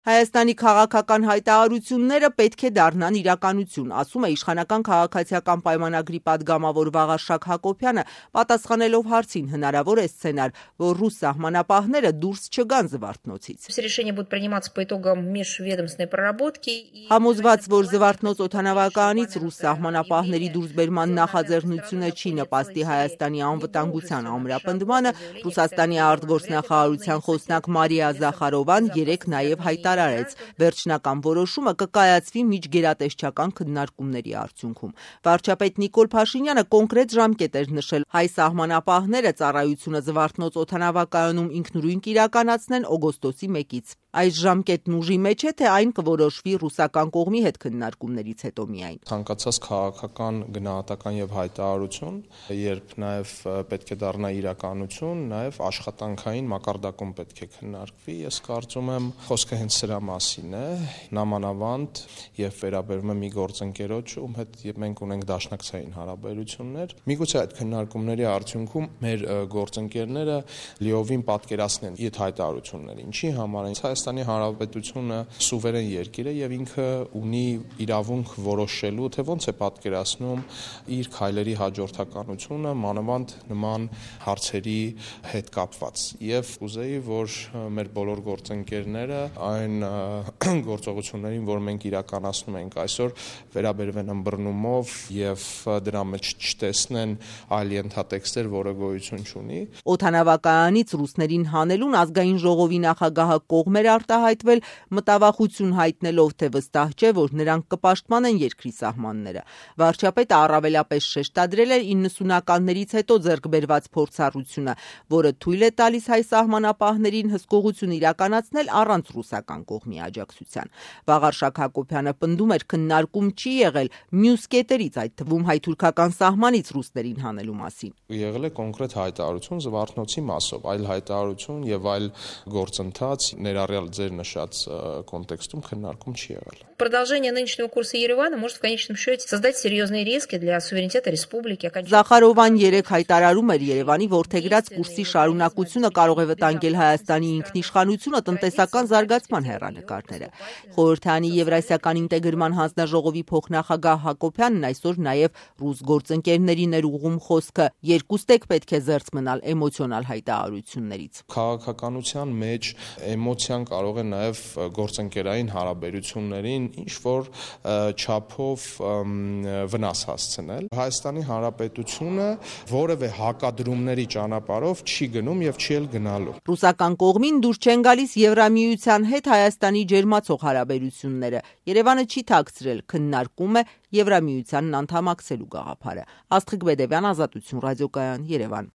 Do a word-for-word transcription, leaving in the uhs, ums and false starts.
Հայաստանի քաղաքական հայտարարությունները պետք է դառնան իրականություն, ասում է իշխանական քաղաքացիական պայմանագրի պատգամավոր Վաղարշակ Հակոբյանը, պատասխանելով հարցին հնարավոր է սցենար, որ ռուս սահմանապահները դուրս չգան Զվարթնոցից։ Համոզված, որ Զվարթնոց օդանավակայանից ռուս սահմանապահների դուրսբերման նախաձեռնությունը չի նպաստի Հայաստանի անվտանգության ամրապնդմանը, Ռուսաստանի արտգործնախարարության խոսնակ Մարիա Զախարովան երեկ նաև հայտարարեց, վերջնական որոշումը կկայացվի միջգերատեսչական քննարկումների արդյունքում։ Վարչապետ Նիկոլ Փաշինյանը կոնկրետ ժամկետ էր նշել հայ սահմանապահները ծառայությունը Զվարթնոց օդանավակայանում ինքնուրույն կիրականացնեն օգոստոսի մեկից։ Այս ժամկետն ուժի մեջ է, թե այն կորոշվի ռուսական կողմի հետ քննարկումներից հետո միայն։ Ցանկացած քաղաքական գնահատական եւ հայտարարություն, երբ նաեւ պետք է դառնա իրականություն, նաեւ աշխատանքային մակարդակում պետք է քննարկվի։ Ես կարծում եմ, խոսքը հենց սրա մասին է, նամանավանդ եւ վերաբերում է մի գործընկերոջ, ում հետ մենք ունենք դաշնակցային հարաբերություններ։ Միգուցե այդ քննարկումների արդյունքում մեր գործընկերները լիովին պատկերացնեն իդ հայտարարությունները։ Ինչի համար են Հայաստանի Հանրապետությունը սուվերեն երկիր է եւ ինքը ունի իրավունք որոշելու, թե ոնց է պատկերացնում իր քայլերի հաջորդականությունը մանավանդ նման հարցերի հետ կապված։ Եվ ուզեի, որ մեր բոլոր գործընկերները այն գործողություններին, որ մենք իրականացնում ենք այսօր, վերաբերվեն ըմբռնումով եւ դրա մեջ չտեսնեն այլ ենթատեքստեր, որը գոյություն չունի։ Օդանավակայանից ռուսներին հանելուն ազգային ժողովի նախագահը կողմ էր արտահայտվել, մտավախություն հայտնելով, թե վստահ չէ, որ նրանք կպաշտպանեն երկրի սահմանները։ Վարչապետը առավելապես շեշտադրել էր իննսունականներից հետո ձեռք բերված փորձառությունը, որը թույլ է տալիս հայ սահմանապահներին հսկողություն իրականացնել առանց ռուսական կողմի աջակցության։ Վաղարշակ Հակոբյանը պնդում էր, քննարկում չի եղել մյուս կետերից, այդ թվում հայ-թուրքական սահմանից ռուսներին հանելու մասին։ Եղել է կոնկրետ հայտարարություն Զվարթնոցի մասով, այլ հայտարարություն եւ այլ գործընթաց ներառյալ ձեր նշած կոնտեքստում քննարկում չի եղել։ Продолжение нынешнего курса Еревана может в конечном счете создать серьезные риски для суверенитета республики. Զախարովան երեք հայտարարում էր Երևանի ворթեգրած կուրսի շարունակությունը կարող է վտանգել Հայաստանի ինքնիշխանությունը, տնտեսական զարգացման հեռանկարները։ Խորհրդանի Եվրասիական ինտեգրման հանձնաժողովի փոխնախագահ Հակոբյանն այսօր նաև ռուս գործընկերներին էր ուղղում խոսքը. երկուստեք պետք է զերծ մնալ էմոցիոնալ հայտարարություններից։ Քաղաքականության մեջ էմոցիան կարող է նաև գործընկերային հարաբերություններին ինչ որ չափով վնաս հասցնել։ Հայաստանի Հանրապետությունը որևէ հակադրումների ճանապարհով չի գնում եւ չի էլ գնալու։ Ռուսական կողմին դուր չեն գալիս Եվրամիության հետ Հայաստանի ջերմացող հարաբերությունները։ Երևանը չի թաքցրել, քննարկում է Եվրամիությանն անդամակցելու գաղափարը։ Աստղիկ Բեդևյան, Ազատություն ռադիոկայան, Երևան։